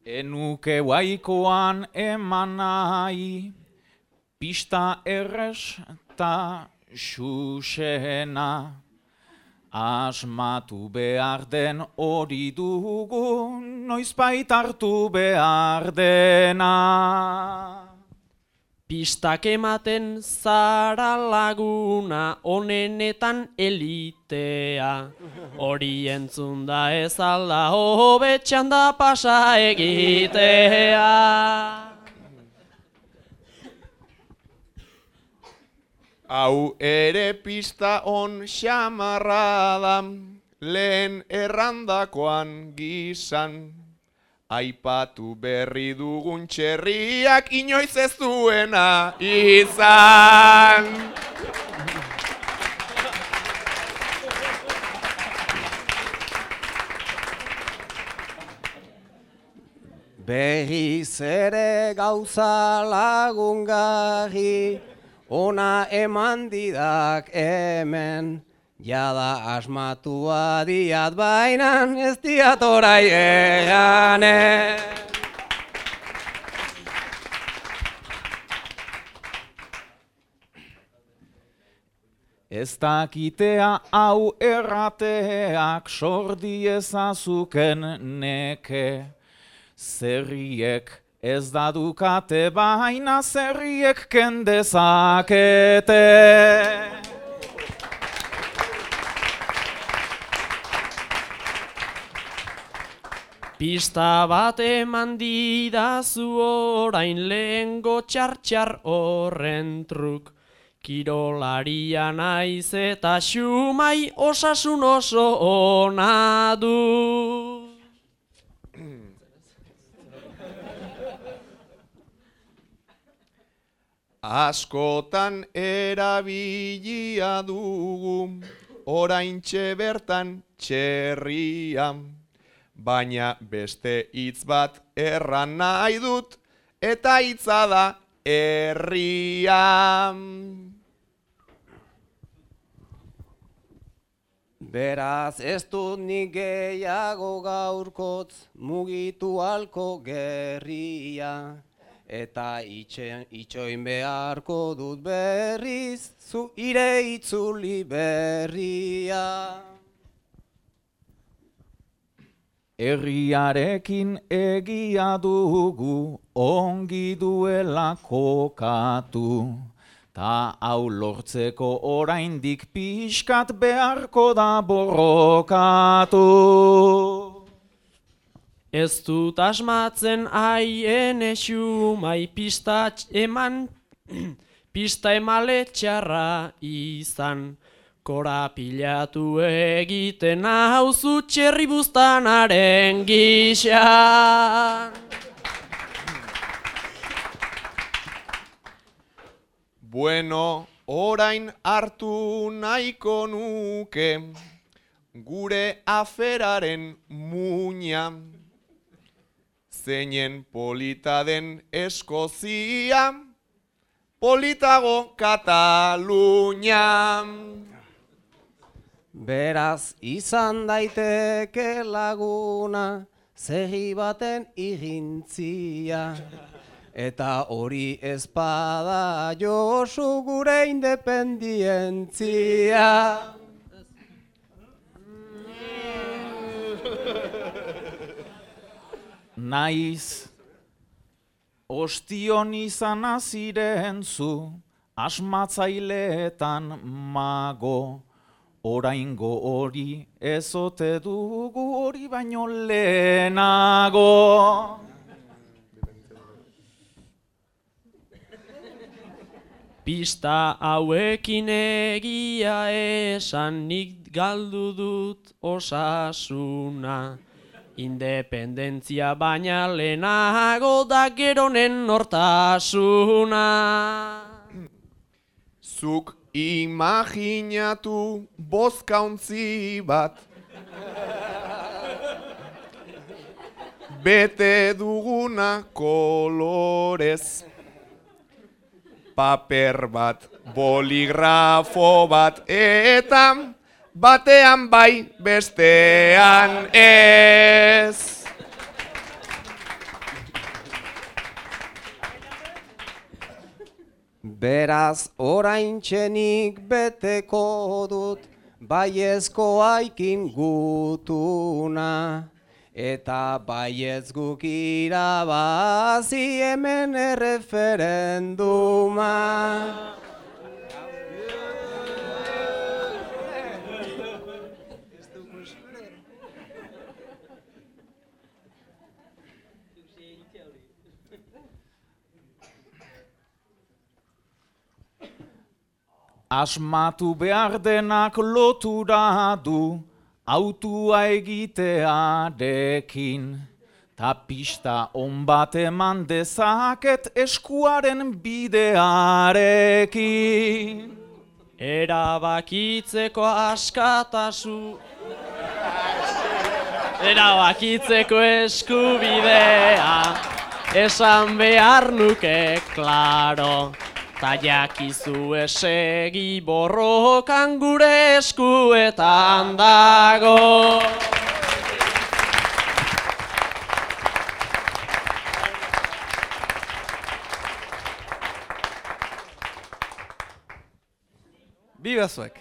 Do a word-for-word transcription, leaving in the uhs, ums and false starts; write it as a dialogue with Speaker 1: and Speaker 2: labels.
Speaker 1: Enuke waikoan eman nahi, pista errez ta xuxena. Asmatu behar den hori dugu, noizbait hartu behar dena.
Speaker 2: Pistak ematen zara laguna, onenetan elitea. Hori entzun da ez alda hobetxan da pasa egitea.
Speaker 3: Hau ere pista on xamarra da, lehen errandakoan gizan. Aipatu berri dugun txerriak inoiz ez duena izan.
Speaker 4: Berriz ere gauza lagungarri, ona eman didak hemen. Jada asmatua diat bainan, ez diat orai eganen.
Speaker 1: Ez dakitea hau errateak sordi ezazuken neke. Zerriek ez da dukate baina zerriek kendezakete.
Speaker 2: Pista bat eman didazu orain lehengo txar-txar horren truk. Kirolaria naiz eta xumai osasun oso ona du.
Speaker 3: Askotan erabilia dugu, oraintxe bertan txerria. Baina beste hitz bat erran nahi dut, eta hitza da herria.
Speaker 4: Beraz ez dut nik gehiago gaurkotz mugitu halko gerria. Eta itxoin beharko dut berriz, zu ire itzuli berria.
Speaker 1: Herriarekin egia dugu, ongi duela kokatu. Ta hau lortzeko oraindik pixkat beharko da borrokatu.
Speaker 2: Ez dut asmatzen haien exumai pista eman, pista emale txarra izan. Korapilatu egiten hauzu txerri buztanaren gixan.
Speaker 3: Bueno, orain hartu nahiko nuke gure aferaren muina. Zeinen polita den Eskozia, politago Katalunia.
Speaker 4: Beraz izan daiteke laguna, zerri baten irintzia. Eta hori ezpada Josu gure independientzia.
Speaker 1: Naiz, ostion izan aziren zu, asmatzaileetan mago. Oraingo hori ezote dugu hori baino lehenago.
Speaker 2: Pista hauekin egia esan nik galdu dut osasuna. Independentzia baina lehenago da geronen nortasuna.
Speaker 3: Zuk imaginatu bozkauntzi bat, bete duguna kolorez. Paper bat, boligrafo bat, eta batean bai, bestean ez.
Speaker 4: Beraz oraintxenik beteko dut, baiezko aikin gutuna. Eta baiez guk irabazi hemen erreferenduma.
Speaker 1: Asmatu behar denak lotura du, autua egitearekin. Ta pista on bat eman dezaket eskuaren bidearekin.
Speaker 2: Erabakitzeko askatasu Erabakitzeko eskubidea esan behar nuke, klaro. Ta jakizu esegi borrokan gure eskuetan dago.
Speaker 5: Biba zuek!